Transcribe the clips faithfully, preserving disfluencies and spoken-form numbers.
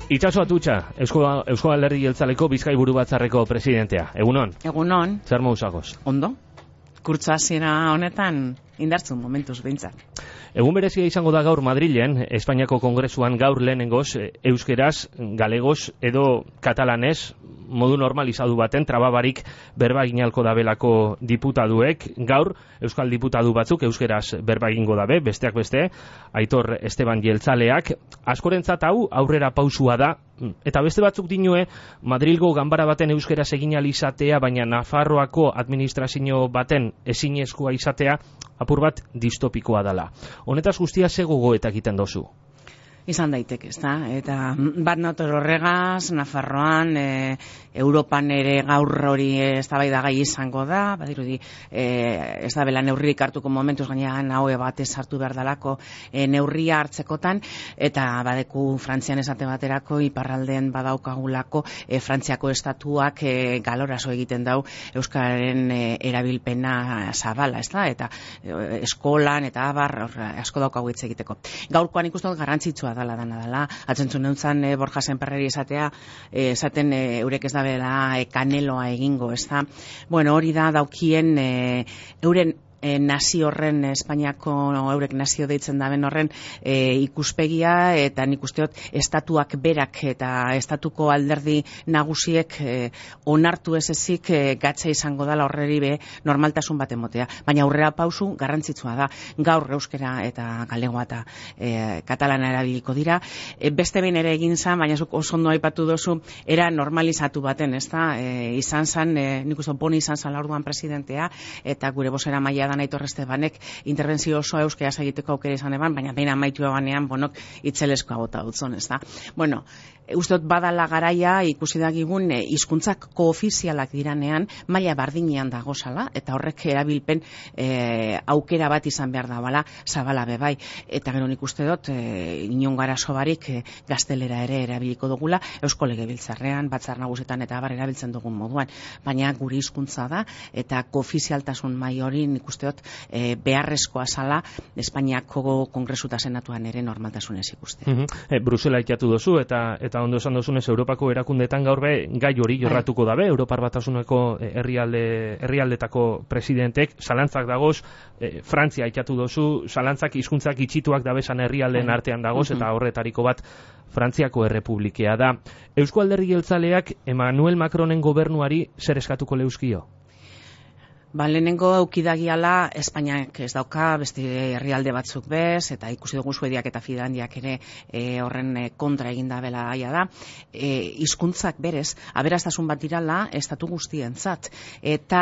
Itxaso Atutxa, Eusko, Eusko Alderdi Jeltzaleko Bizkaiburu Batzarreko presidentea. Egunon? Egunon. Zer mauzagoz? Ondo. Kurtza hasiera honetan indartzun momentuz behintzat. Egun berezia izango da gaur Madrilen, Espainiako Kongresuan gaur lehenengoz, euskeraz, galegoz edo katalanez, modu normalizatu baten, trababarik berba eginalko dabelako diputaduek. Gaur, euskal diputadu batzuk euskeraz berba egingo dabe, besteak beste, Aitor Esteban Jeltzaleak. Askorentzat hau aurrera pausua da, eta beste batzuk dinue, Madrilgo ganbara baten euskeraz egin ahal izatea, baina Nafarroako administrazio baten ezinezkoa izatea, apur bat distopikoa dela. Honetaz guztia ze gogoetak egiten dozu? Izan daiteke, ezta? Eta bat nator horregaz, Nafarroan, e, Europan ere gaur hori eztabaidagai izango da, badirudi e, ez da bela neurririk hartuko momentuz gainean haue batez hartu behar dalako e, neurria hartzekotan, eta badeku Frantzian esate baterako iparraldean badaukagulako e, Frantziako estatuak e, galoraso egiten dau euskararen e, erabilpena zabala, ez da? Eta e, eskolan eta abar asko daukagu hitz egiteko. Gaurkoan ikusten garrantzitsua dala dana dela, atzentzun neuntzan e, Borja Senperreri esatea, e, esaten e, eurek ez da bela e, kaneloa egingo, ez da? Bueno, hori da daukien e, euren E, nazio horren, Espainiako eurek nazio deitzen daben horren e, ikuspegia, eta nik usteot estatuak berak eta estatuko alderdi nagusiek e, onartu ez ezik e, gatza izango dela horreri be normaltasun bat emotea. Baina aurrera pausu garrantzitsua da. Gaur euskera eta galegoa eta e, katalana erabiliko dira. E, beste behin ere egin zan, baina zuk oso ondo aipatu dozu, era normalizatu baten, ez da? E, izan zan, e, nik uste boni izan zan laurduan presidentea, eta gure bozera maila da Aitor Estebanek interbentzio oso euskeraz egiteko aukera izan eban, baina behin amaitu ebanean bonok itzeleskoa bota dutzon, ez da? Bueno, usteot badala garaia ikusi dagigun e, hizkuntzak koofizialak diranean maila bardinean dagozala, eta horrek erabilpen e, aukera bat izan behar da bala, zabala bebai, eta gero nik uste dut e, inon garaso barik e, gaztelera ere erabiliko dugula, Eusko Legebiltzarrean, Batzar Nagusietan eta abar erabiltzen dugun moduan, baina guri hizkuntza da, eta koofizialtasun mai hori nik uste dut e, beharrezkoa zala Espainiako Kongresu eta Senatuan ere normaltasunez ikustea. Mm -hmm. e, Brusela ikatu dozu, eta eta ondo esan dozunez Europako erakundetan gaur be gai hori jorratuko dabe, Europar Batasuneko herrialde herrialdetako presidentek, zalantzak dagoz, e, Frantzia ikatu dozu, zalantzak hizkuntzak itxituak dabesan herrialdeen artean dagoz, eta horretariko bat Frantziako Errepublikea da. Eusko Alderdi Jeltzaleak Emmanuel Macronen gobernuari zer eskatuko leuzkio? Ba, lehenengo eukidagiala Espainiak ez dauka, beste herrialde batzuk bez, eta ikusi dugu Suediak eta Finlandiak ere e, horren e, kontra eginda bela aia da. E, hizkuntzak berez, aberastasun bat dirala estatu guztientzat, eta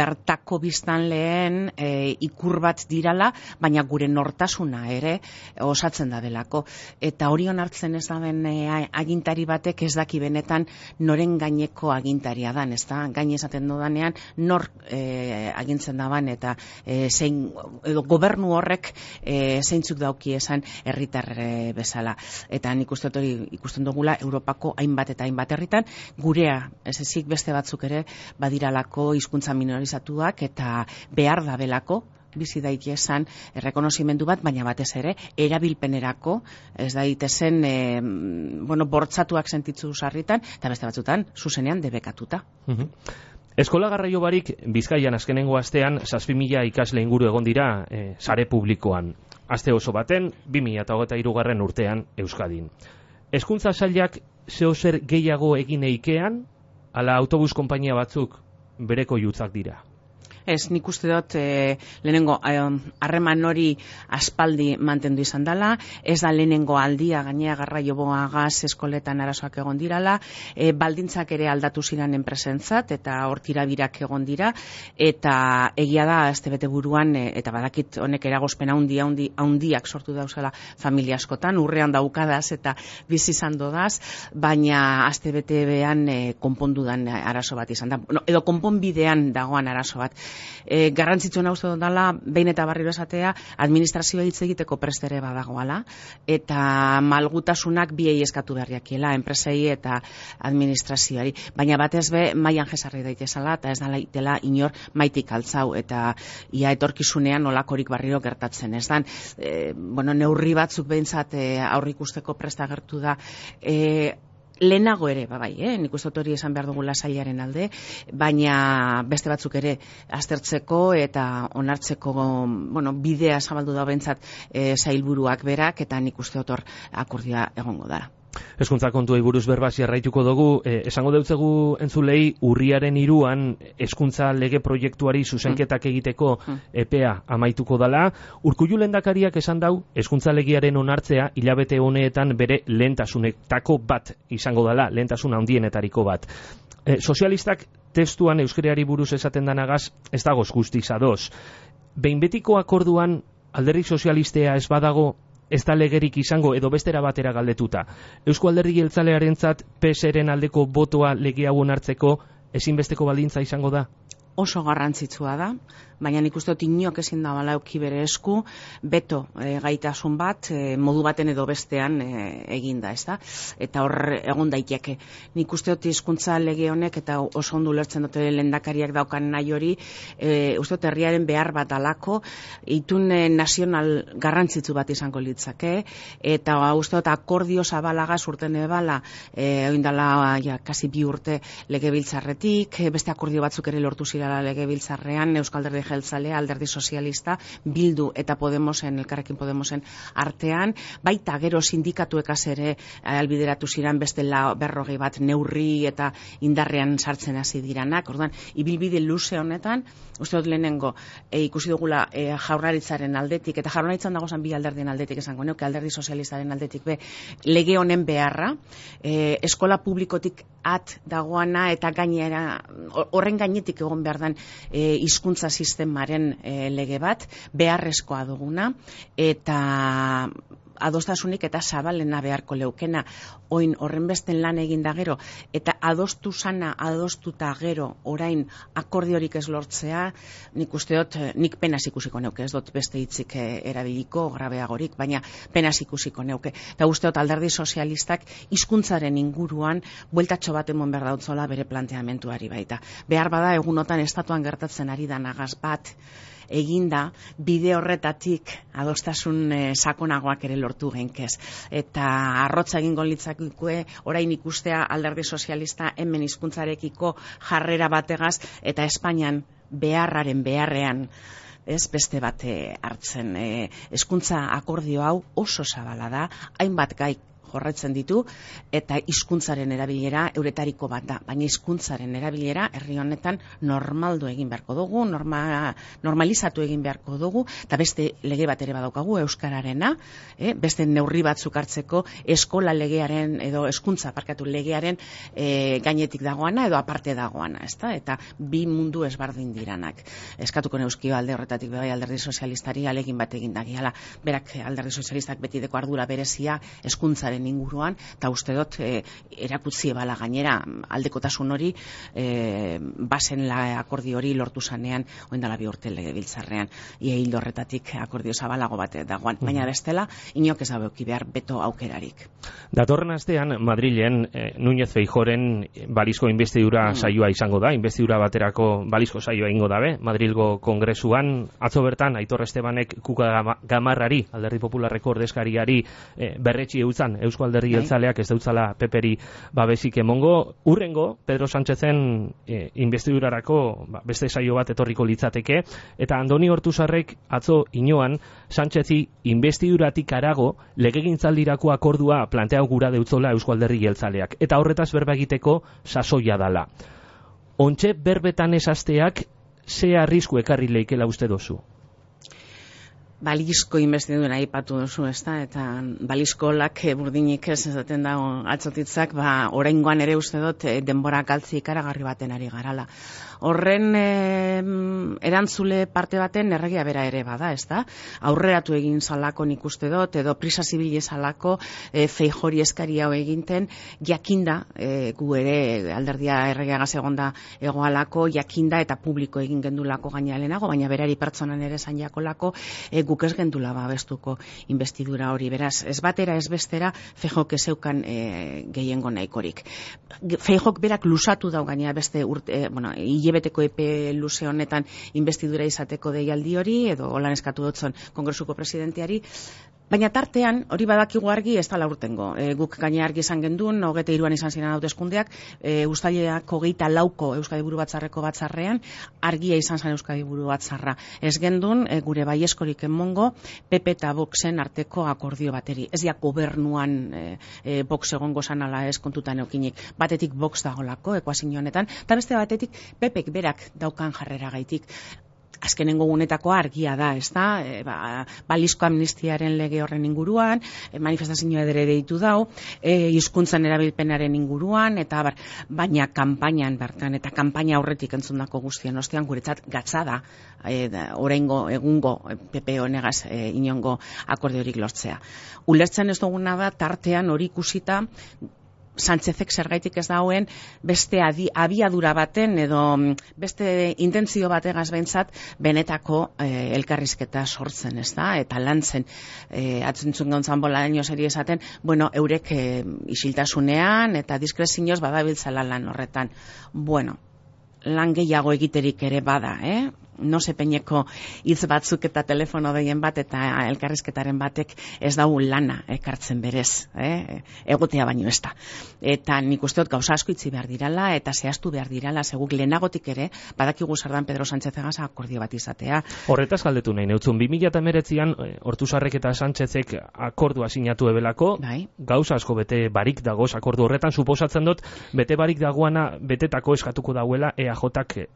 bertako biztan lehen e, ikur bat dirala, baina gure nortasuna ere osatzen da belako. Eta hori onartzen ez daben e, agintari batek ez daki benetan noren gaineko agintaria dan, ez da? Gain esaten dodanean nor e, agintzen daban, eta e, zein, edo gobernu horrek e, zeintzuk dauki esan herritar e, bezala. Eta nik uste hori ikusten dugula Europako hainbat eta hainbat herritan, gurea, ez ezik beste batzuk ere badiralako hizkuntza minorizatuak, eta behar da belako bizi daiki esan errekonozimendu bat, baina batez ere erabilpenerako ez daitezen e, bueno, bortzatuak sentitzu sarritan, eta beste batzutan zuzenean debekatuta. Mm-hmm. Eskola garraio barik Bizkaian azkenengo astean zazpi mila ikasle inguru egon dira e, sare publikoan. Aste oso baten, bi mila hogeita hirugarren urtean Euskadin. Hezkuntza sailak zeo zer gehiago egin eikean, ala autobus konpainia batzuk bereko jutzak dira? Ez, nik uste dut e, lehenengo harreman hori aspaldi mantendu izan dela, ez da lehenengo aldia gainea garraio boagaz eskoletan arazoak egon dirala, e, baldintzak ere aldatu ziren enpresentzat, eta hor tirabirak egon dira, eta egia da azte bete buruan, e, eta badakit honek eragozpen haundi, haundi, haundiak sortu dauzela familia askotan, urrean daukadaz eta bizi izan dodaz, baina azte bete behan e, konpondudan arazo bat izan da, no, edo konponbidean dagoan arazo bat. E, garrantzitsuena uste dut dela, behin eta barriro esatea, administrazioa hitz egiteko prest ere badagoala, eta malgutasunak biei eskatu berriakiela, enpresei eta administrazioari. Baina batez be, mailan jesarri daitezala, eta ez da laitela inor maitik altzau, eta ia etorkizunean olakorik barriro gertatzen ez dan. E, bueno, neurri batzuk behintzat e, aurrikusteko presta gertu da, e, lehenago ere, ba bai, eh? Nik uste dut hori esan behar dugula sailaren alde, baina beste batzuk ere aztertzeko eta onartzeko, bueno, bidea zabaldu da behintzat e, sailburuak berak, eta nik uste dut hor akordioa egongo dara. Hezkuntza kontuei buruz berbaz jarraituko dugu, eh, esango deutzegu entzulei urriaren hiruan hezkuntza lege proiektuari zuzenketak egiteko epea amaituko dala. Urkullu lehendakariak esan dau, hezkuntza legearen onartzea hilabete honeetan bere lehentasunetako bat izango dala, lehentasuna handienetariko bat. Eh, sozialistak testuan euskarari buruz esaten danagaz ez dagoz guztiz ados. Behin betiko akorduan alderdi sozialistea ez badago, ez da legerik izango edo bestera batera galdetuta. Eusko Alderdi Jeltzalearentzat P S eren aldeko botoa lege hau onartzeko ezinbesteko baldintza izango da? Oso garrantzitsua da, baina nik uste dut inok ezin da bala euki bere esku, beto e, gaitasun bat, e, modu baten edo bestean e, eginda, ez da? Eta hor egon daiteke. Nik uste dut hizkuntza lege honek, eta oso ondo ulertzen dute lehendakariak daukan nahi hori, e, uste dut herriaren behar bat alako, itun e, nazional garrantzitsu bat izango litzake, eta uste dut akordio zabalagaz urten ebala, e, oindala ja, kasi bi urte legebiltzarretik, beste akordio batzuk ere lortu ziren legebiltzarrean, Euskal Alderdi Jeltzalea, Alderdi Sozialista, Bildu eta Podemosen, Elkarrekin Podemosen artean, baita gero sindikatuekaz ere albideratu ziren beste la berrogei bat neurri eta indarrean sartzen hasi diranak. Orduan, ibilbide luze honetan, uste dut lehenengo, e, ikusi dugula e, jaurlaritzaren aldetik, eta jaurlaritzan dagozan bi alderdien aldetik esango neuke, Alderdi Sozialistaren aldetik be, lege honen beharra, e, eskola publikotik at dagoana eta gainera, horren gainetik egon behar dan e, hizkuntza sistemaren e, lege bat, beharrezkoa duguna, eta adostasunik eta zabalena beharko leukena, oin horren besten lan egin da gero, eta adostu sana, adostuta gero, orain akordiorik ez lortzea, nik uste dut, nik penaz ikusiko neuke, ez dut beste hitzik erabiliko, grabeagorik, baina penaz ikusiko neuke. Eta uste dut Alderdi Sozialistak hizkuntzaren inguruan bueltatxo bat emon behar dautzola bere planteamentuari baita. Behar bada egunotan estatuan gertatzen ari da nagaz bat, eginda, bide horretatik adostasun e, sakonagoak ere lortu genkez. Eta arrotza egingo litzakue orain ikustea Alderdi Sozialista hemen hizkuntzarekiko jarrera bategaz eta Espainian beharraren beharrean ez beste bate hartzen. E, hezkuntza akordio hau oso zabala da, hainbat gai jorretzen ditu, eta hizkuntzaren erabilera euretariko bat da. Baina hizkuntzaren erabilera herri honetan normaldu egin beharko dugu, norma, normalizatu egin beharko dugu, eta beste lege bat ere badaukagu euskararena, eh, beste neurri batzuk hartzeko eskola legearen edo hezkuntza parkatu legearen eh, gainetik dagoana edo aparte dagoana, ezta? Eta bi mundu ezberdin diranak. Eskatuko neuzkio alde horretatik bai Alderdi Sozialistari alegin bat egin dagiala. Berak Alderdi Sozialistak betideko ardura berezia hezkuntzaren inguruan, eta uste dut e, erakutzi ebala gainera aldekotasun hori e, bazen la akordio hori lortu zanean oindala bi urte legebiltzarrean, ia hildo horretatik akordio zabalago bat dagoan, baina bestela inok ez dauki behar beto aukerarik. Datorren astean Madrilen eh, Núñez Feijóoren balizko inbestidura mm. saioa izango da, inbestidura baterako balizko saioa ingo dabe, Madrilgo Kongresuan, atzo bertan Aitor Estebanek Kuka Gamarrari, Alderdi Popularreko ordezkariari eh, berretsi eutzan, Eusko Alderdi Jeltzaleak ez dautzala peperi babesik emongo. Urrengo, Pedro Sánchezen e, investidurarako ba, beste saio bat etorriko litzateke, eta Andoni Ortuzarrek atzo inoan Sánchezi investiduratik arago legegintzaldirako akordua planteau gura deutzola Eusko Alderdi Jeltzaleak, eta horretaz berba egiteko sasoia dala. Ontxe berbetan esasteak ze arrisku ekarri leikela uste dozu? Balizko investidura aipatu duzu, ezta, eta balizko lak burdinik ez ezaten dago atzotitzak, ba, oraingoan ere uste dut denbora galtzi ikaragarri baten ari garala. horren e, erantzule parte baten erregia bera ere bada, ez da? Aurreratu egin zalako nik uste dut, edo prisa zibili zalako e, Feijori eskari hau eginten, jakinda, e, gu ere alderdia erregeagaz egonda egoalako, jakinda eta publiko egin gendulako gainalenago, baina berari pertsonan ere zan jakolako, e, guk ez gendula babestuko investidura hori, beraz, ez batera ez bestera, Feijok ezeukan e, gehiengo nahikorik. Feijok berak lusatu dau gainera beste urte, e, bueno, hilebeteko epe luze honetan investidura izateko deialdi hori, edo holan eskatu dutzen Kongresuko presidenteari, baina tartean, hori badakigu argi ez da laurtengo. E, guk gaina argi izan gendun, hogeta iruan izan ziren hauteskundeak, e, ustailak hogeita lauko Euskadi Buru Batzarreko batzarrean, argia izan zen Euskadi Buru Batzarra. Ez gendun, e, gure baieskorik emongo, P P eta Voxen arteko akordio bateri. Ez ja gobernuan e, e, Vox egongo zanala ez kontutan eukinik. Batetik Vox dagolako, ekuazio honetan, eta beste batetik P Pek berak daukan jarrera gaitik. Azkenengo gunetako argia da, ez da, e, ba, balizko amnistiaren lege horren inguruan, e, manifestazioa ere deitu dau, e, hizkuntzan erabilpenaren inguruan, eta bar, baina kanpainan bertan, eta kanpaina aurretik entzundako guztien ostean guretzat gatza da, e, da oraingo egungo P P honegaz e, inongo akordiorik lortzea. Ulertzen ez duguna da, tartean hori ikusita, Sánchezek zergaitik ez dauen beste adi, abiadura baten edo beste intentzio bategaz behintzat benetako e, elkarrizketa sortzen, ez da? Eta lantzen, e, atzentzun gauntzan bola daño seri esaten, bueno, eurek e, isiltasunean eta diskrezioz badabiltzala lan horretan. Bueno, lan gehiago egiterik ere bada, eh? No se peineko hitz batzuk eta telefono deien bat eta elkarrizketaren batek ez dau lana ekartzen berez, eh? Egotea baino ez da. Eta nik uste dut gauza asko itzi behar dirala eta zehaztu behar dirala, seguk lehenagotik ere, badakigu sardan Pedro Sánchezegaz akordio bat izatea. Horretaz galdetu nahi, neutzun, bi mila hemeretzian Ortuzarrek eta Sánchezek akordua sinatu ebelako, bai? Gauza asko bete barik dagoz akordu horretan, suposatzen dut, bete barik dagoana betetako eskatuko dauela E A Jk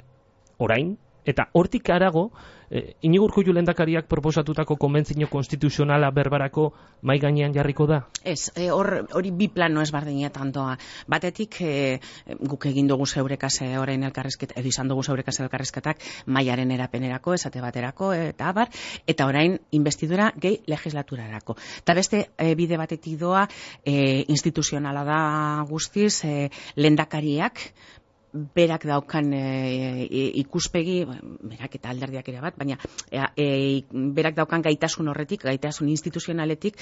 orain, eta hortik arago, eh, Iñigo Urkullu lehendakariak proposatutako konbentzio konstituzionala berbarako mai gainean jarriko da? Ez, e, hor, hori bi plano ez bardinetan doa. Batetik, e, guk egin dugu zeurekase orain elkarrizket, edo izan dugu zeurekase elkarrizketak maiaren erapenerako, esate baterako, eta abar, eta orain investidura gehi legislaturarako. Eta beste e, bide batetik doa, e, instituzionala da guztiz, e, lehendakariak, berak daukan e, e, ikuspegi, berak eta alderdiak ere bat, baina e, e, berak daukan gaitasun horretik, gaitasun instituzionaletik,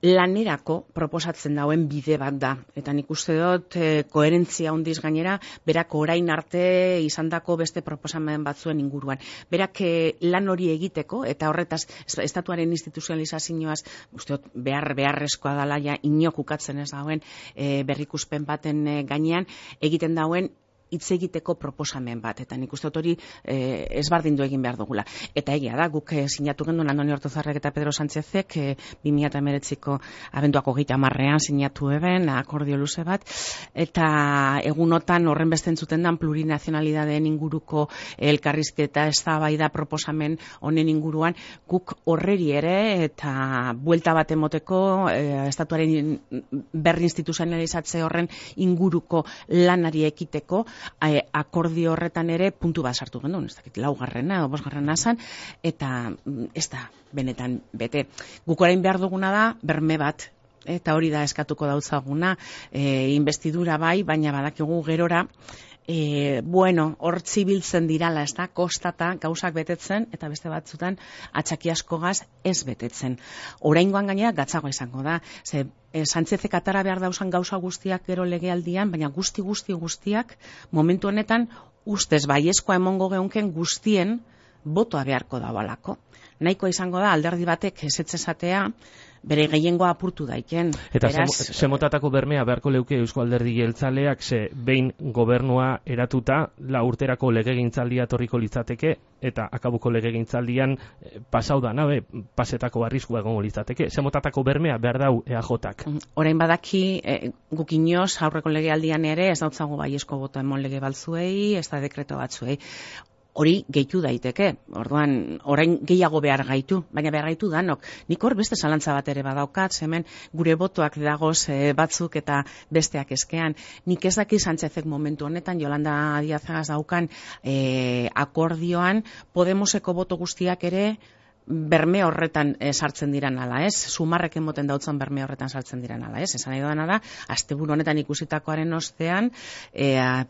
lanerako proposatzen dauen bide bat da. Eta nik uste dut, e, koherentzia handiz gainera, berak orain arte izandako beste proposamen batzuen inguruan. Berak e, lan hori egiteko, eta horretaz, estatuaren instituzionalizazioaz, uste dut, behar, beharrezkoa dala ja, inok ukatzen ez dauen e, berrikuspen baten e, gainean, egiten dauen hitz egiteko proposamen bat, eta nik uste dut hori e, ezbardindu egin behar dugula. Eta egia da, guk e, sinatu gendun Andoni Ortuzarrek eta Pedro Sánchezek e, bi mila hemeretziko abenduako hogeita hamarrean sinatu eben, akordio luze bat, eta egunotan horren beste entzuten dan plurinazionalidadeen inguruko elkarrizketa eztabaida proposamen honen inguruan, guk horreri ere eta buelta bat emoteko e, estatuaren berri instituzionalizatze horren inguruko lanari ekiteko, E, akordio horretan ere puntu bat sartu gendun, ez dakit laugarrena edo bosgarrena zan, eta ez da benetan bete. Guk orain behar duguna da berme bat, eta hori da eskatuko dautzaguna, e, investidura bai, baina badakigu gerora, E, bueno, hor zibiltzen dirala, ez da, kostata gauzak betetzen, eta beste batzutan atxaki askogaz ez betetzen. Oraingoan gainera gatzagoa izango da, ze e, Sánchezek atara behar dauzan gauza guztiak gero legealdian, baina guzti guzti guztiak momentu honetan ustez baiezkoa emongo geunken guztien botoa beharko dabalako. Nahikoa izango da alderdi batek ezetz esatea, bere gehiengoa apurtu daiken. Eta semotatako bermea beharko leuke Eusko Alderdi Jeltzaleak, ze behin gobernua eratuta, la urterako legegintzaldia torriko litzateke, eta akabuko legegintzaldian eh, pasau da, nabe, pasetako arriskua egongo litzateke. Semotatako bermea behar dau E A Jk. Orain badaki, e, gukinoz aurreko legealdian ere, ez dautzago baiezko boto emon lege baltzuei, ez da dekreto batzuei. hori gehitu daiteke. Orduan, orain gehiago behar gaitu, baina behar gaitu danok. Nik hor beste zalantza bat ere badaukat, hemen gure botoak dagoz e, batzuk eta besteak eskean. Nik ez daki Sánchezek momentu honetan, Yolanda Díazagaz daukan e, akordioan, Podemoseko boto guztiak ere berme horretan e, sartzen diran ala, ez? Sumarrek emoten dautzan berme horretan sartzen diran ala, ez? Esan nahi doana da, asteburu honetan ikusitakoaren ostean, e,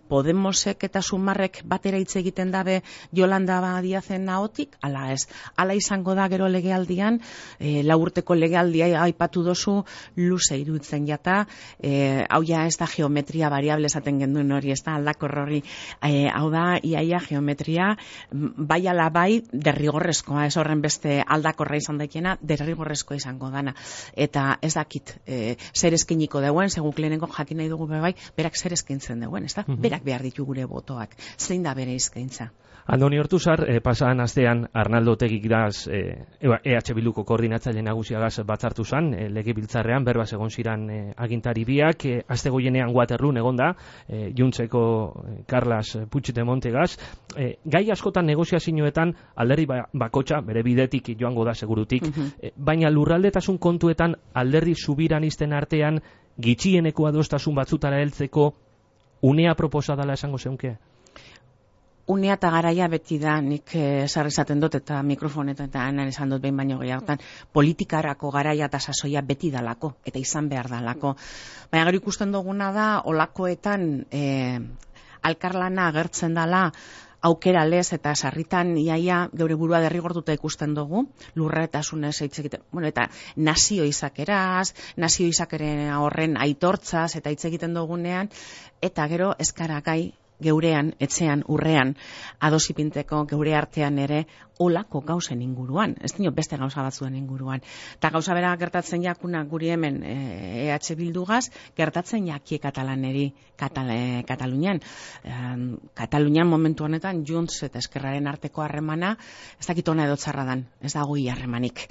Podemosek eta Sumarrek batera hitz egiten dabe Yolanda Díazen ahotik, ala ez? Ala izango da gero legealdian, e, lau urteko legealdia aipatu dozu, luze iruditzen jata, e, hau ja ez da geometria variable esaten genduen hori, ez da aldakor hori, e, hau da, iaia geometria, bai ala bai, derrigorrezkoa, ez horren beste aldakorra izan daikena, derrigorrezkoa izango dana. Eta ez dakit, e, zer eskiniko deuen, seguk lehenengo jakin nahi dugu bai, berak zer eskintzen deuen, ez da? Mm-hmm. Berak behar ditu gure botoak. Zein da bere izkaintza? Andoni Ortuzar, eh, pasadan astean Arnaldo Otegik daz eh, E H Bilduko koordinatzaile nagusiagaz batzartu zan, eh, legebiltzarrean, berbaz egon ziran eh, agintari biak, eh, aste goienean Waterloon egonda, eh, Juntzeko eh, Carlas Puigdemontegaz, eh, gai askotan negoziazioetan alderdi ba, bakotxa, bere bidetik joango da segurutik, mm-hmm. eh, baina lurraldetasun kontuetan alderdi subiranisten artean gitxieneko adostasun batzutara heltzeko unea proposa dela esango zeunke? Unea eta garaia beti da, nik sarri zaten dut eta mikrofonetan eta anan esan dut behin baino gehiagotan, politikarako garaia eta sasoia beti dalako, eta izan behar dalako. Baina gero ikusten duguna da, olakoetan e, alkarlana agertzen dala, aukera lez eta sarritan iaia geure burua derrigortuta ikusten dugu, lurretasunez hitz egiten, bueno, eta nazio izakeraz, nazio izakeren horren aitortzaz eta hitz egiten dugunean, eta gero eskaragai geurean, etxean, urrean, adosipinteko geure artean ere olako gauzen inguruan, ez dino beste gauza batzuen inguruan. Eta gauza bera gertatzen jakuna guri hemen E H Bildugaz, gertatzen jakie katalaneri Katale, Katalunian. E, Katalunian momentu honetan Junts eta Eskerraren arteko harremana, ez dakit ona edo txarra dan, ez dago harremanik.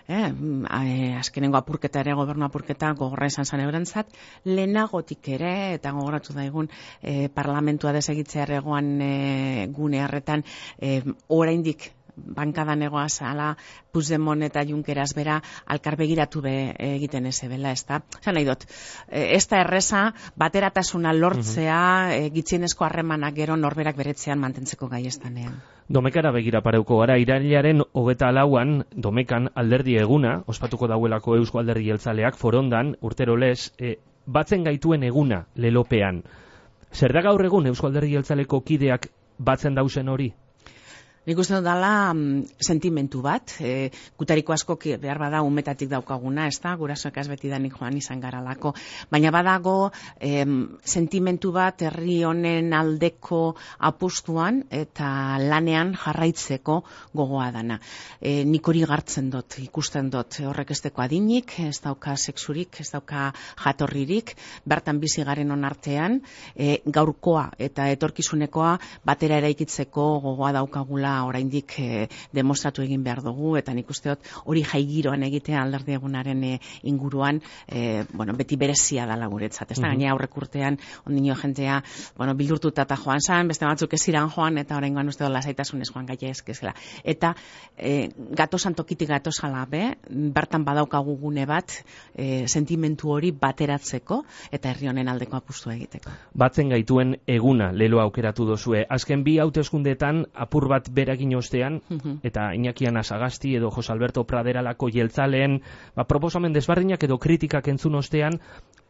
E, e, azkenengo apurketa ere, gobernu apurketa gogorra izan zan eurentzat, lehenagotik ere, eta gogoratu daigun e, parlamentua desegitzear egoan e, gune harretan, e, oraindik bankadan egoaz, ala Puigdemont eta Junkeras bera alkarbegiratu be egiten eze bela, ez da? Zan nahi dut, ez da erreza, bateratasuna lortzea, mm-hmm. e, gitxienezko harremanak gero norberak beretzean mantentzeko gai estanean. Domekara begira pareuko gara, irailaren hogeta lauan, Domekan alderdi eguna, ospatuko dauelako Eusko Alderdi Jeltzaleak, forondan, urtero lez, e, batzen gaituen eguna, lelopean. Zer da gaur egun Eusko Alderdi Jeltzaleko kideak batzen dauzen hori? Nik uste dut dala mm, sentimentu bat, e, gutariko asko behar bada umetatik daukaguna, ez da, gurasoek beti danik joan izan garalako, baina badago e, sentimentu bat herri honen aldeko apustuan eta lanean jarraitzeko gogoa dana. E, nik hori gartzen dut, ikusten dut, horrek ez deko adinik, ez dauka sexurik, ez dauka jatorririk, bertan bizi garen onartean, e, gaurkoa eta etorkizunekoa batera eraikitzeko gogoa daukagula oraindik e, demostratu egin behar dugu, eta nik usteot hori jaigiroan egitea alderdi egunaren e, inguruan e, bueno, beti berezia dala guretzat. Ez da, gaina aurrek urtean ondino jentea bueno, bildurtuta eta joan zan, beste batzuk ez iran joan, eta oraingoan uste dut lasaitasunez joan gaia ezkezela. Eta e, gatosan tokitik gatosala be, bertan badaukagu gune bat e, sentimentu hori bateratzeko eta herri honen aldeko apustu egiteko. Batzen gaituen eguna lelo aukeratu dozue. Azken bi hauteskundeetan apur bat beragin ostean, eta Iñaki Anasagasti edo Jose Alberto Praderalako jeltzaleen ba, proposamen desbardinak edo kritikak entzun ostean,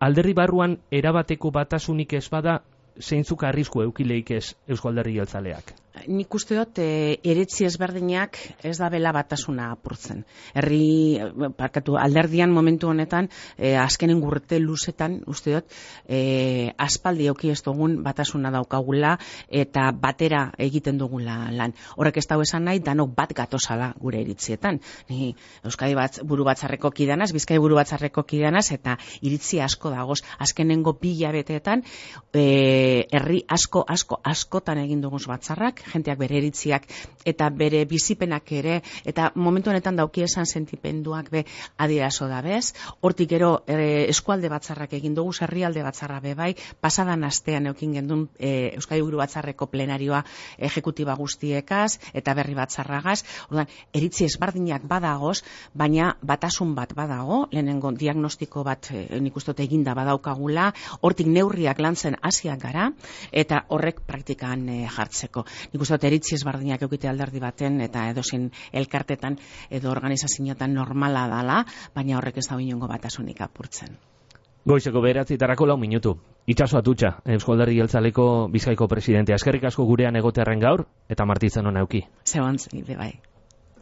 alderdi barruan erabateko batasunik ez bada, zeintzuk arrisku eukileik ez Eusko Alderdi Jeltzaleak? Nik uste dut, e, eretzi ezberdinak ez da bela batasuna apurtzen. Herri, parkatu, alderdian momentu honetan, e, azkenen gurte luzetan, uste dut, e, aspaldi auki ez dugun batasuna daukagula eta batera egiten dugula lan. Horrek ez dago esan nahi, danok bat gatozala gure iritzietan. Ni Euskadi bat, buru batzarreko kidanaz, Bizkai buru batzarreko kidanaz, eta iritzi asko dagoz. Azkenengo pila beteetan, e, herri asko, asko, askotan egin dugun batzarrak, jenteak bere iritziak eta bere bizipenak ere, eta momentu honetan dauki esan sentipenduak be adierazo da bez. Hortik gero e, eskualde batzarrak egin dugu, herrialde batzarra be bai, pasadan astean eukin gendun e, Euskadi Buru Batzarreko plenarioa ejekutiba guztiekaz eta berri batzarragaz. Orduan, eritzi ezberdinak badagoz, baina batasun bat badago, lehenengo diagnostiko bat e, nik uste dut eginda badaukagula, hortik neurriak lantzen hasiak gara, eta horrek praktikan e, jartzeko. Nik uste dut eritzi ezberdinak eukite alderdi baten, eta edozein elkartetan edo organizazioetan normala dala, baina horrek ez da inongo batasunik apurtzen. Goizeko bederatzitarako lau minutu. Itxaso Atutxa, Eusko Alderdi Jeltzaleko Bizkaiko presidentea. Eskerrik asko gurean egotearren gaur, eta martitzen hona euki. Zebontz, bai.